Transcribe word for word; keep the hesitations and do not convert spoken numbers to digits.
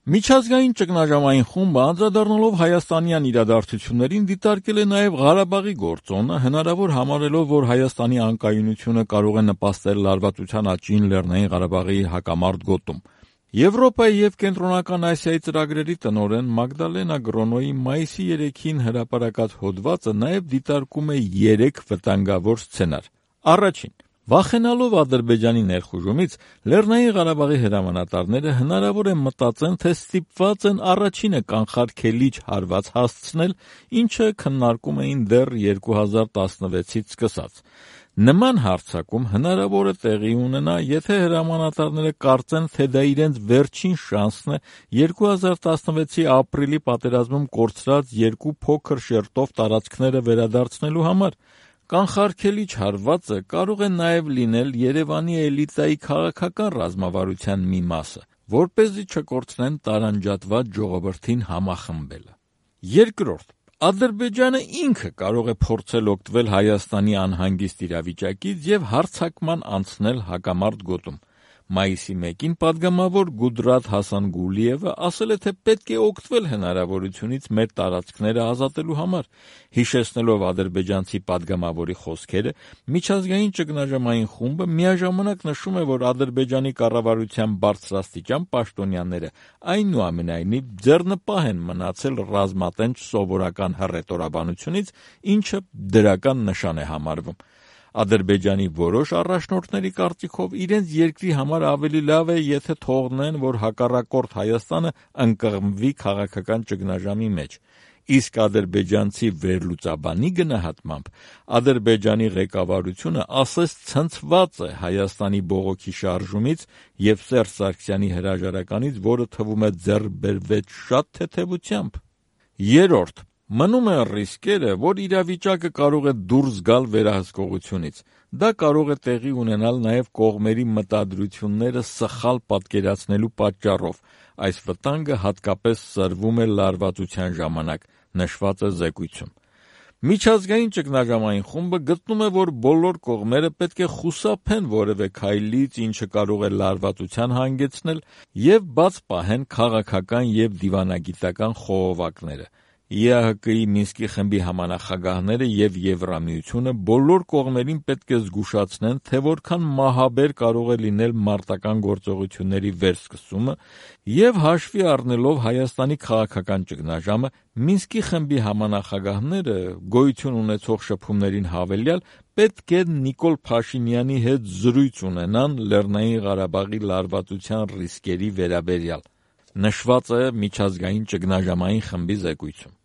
Միջազգային ճգնաժամային խումբը անդրադառնալով հայաստանյան իրադարձություններին դիտարկել է նաև Ղարաբաղի գործոնը, հնարավոր համարելով, որ Հայաստանի անկայունությունը կարող է նպաստել լարվածության աճին Լեռնային Ղարաբաղի հակամարտ գոտում։ Եվրոպայի և Կենտրոնական Ասիայի ծրագրերի տնօրեն Մագդալենա Գրոնոյի մայիսի երեքին հրապարակած հոդվածը նաև դիտարկում է երեք վտանգավոր սցենար։ Առաջին. վախենալով Ադրբեջանի ներխուժումից, Լեռնային Ղարաբաղի հրամանատարները հնարավոր է մտածեն, թե ստիպված են առաջինը կանխարգելիչ հարված հասցնել, ինչը քննարկում էին դեռ երկու հազար տասնվեցից սկսած։ Նման հարձակում հնարավոր է տեղի ունենա, եթե հրամանատարները կարծեն, թե դա իրենց վերջին շանսն է երկու հազար տասնվեցի ապրիլի պատերազմում կորցրած երկու փոքր շերտով տարածքները վերադարձնելու համար։ Կանխարգելիչ հարվածը կարող է նաև լինել Երևանի էլիտայի քաղաքական ռազմավարության մի մասը, որպեսզի չկորցնեն տարանջատված ժողովրդին համախմբելը։ Երկրորդ. Ադրբեջանը ինքը կարող է փորձել օգտվել Հայաստանի անհանգիստ իրավիճակից և հարձակման անցնել հակամարտ գոտում։ Մայիսի մեկին պատգամավոր Գուդրաթ Հասանգուլիևը ասել է, թե պետք է օգտվել հնարավորությունից մեր տարածքները ազատելու համար։ Հիշեցնելով ադրբեջանցի պատգամավորի խոսքերը, միջազգային ճգնաժամային խումբը միաժամանակ նշում է, որ Ադրբեջանի կառավարության բարձրաստիճան պաշտոնյաները այնուամենայնիվ ձեռնպահ են մնացել ռազմատենչ սովորական հռետորաբանությունից, ինչը դրական նշան է համարվում։ Ադրբեջանի որոշ առաջնորդների կարծիքով իրենց երկրի համար ավելի լավ է, եթե թողնեն, որ հակառակորդ Հայաստանը ընկղմվի քաղաքական ճգնաժամի մեջ։ Իսկ ադրբեջանցի վերլուծաբանի գնահատմամբ Ադրբեջանի ղեկավարությունը ասես ցնցված է Հայաստանի բողոքի շարժումից և Սերժ Սարգսյանի հրաժարականից, որը թվում է ձեռք բերվեց շատ թեթևությամբ։ Երրորդ. մնում են ռիսկերը, որ իրավիճակը կարող է դուրս գալ վերահսկողությունից։ Դա կարող է տեղի ունենալ նաև կողմերի մտադրությունները սխալ պատկերացնելու պատճառով։ Այս վտանգը հատկապես սրվում է լարվածության ժամանակ, նշված է զեկույցում։ Միջազգային ճգնաժամային խումբը գտնում է, որ բոլոր կողմերը պետք է խուսափեն որևէ քայլից, ինչը կարող է լարվածության հանգեցնել, և բաց պահեն քաղաքական և դիվանագիտական խողովակները։ ԵԱՀԿ-ի Մինսկի խմբի համանախագահները և Եվրամիությունը բոլոր կողմերին պետք է զգուշացնեն, թե որքան մահաբեր կարող է լինել մարտական գործողությունների վերսկսումը, և հաշվի առնելով Հայաստանի քաղաքական ճգնաժամը, Մինսկի խմբի համանախագահները գոյություն ունեցող շփումներին հավելյալ պետք է Նիկոլ Փաշինյանի հետ զրույց ունենան Լեռնային Ղարաբաղի լարվածության ռիսկերի վերաբերյալ, նշված է միջազգային ճգնաժամային խմբի զեկույցում։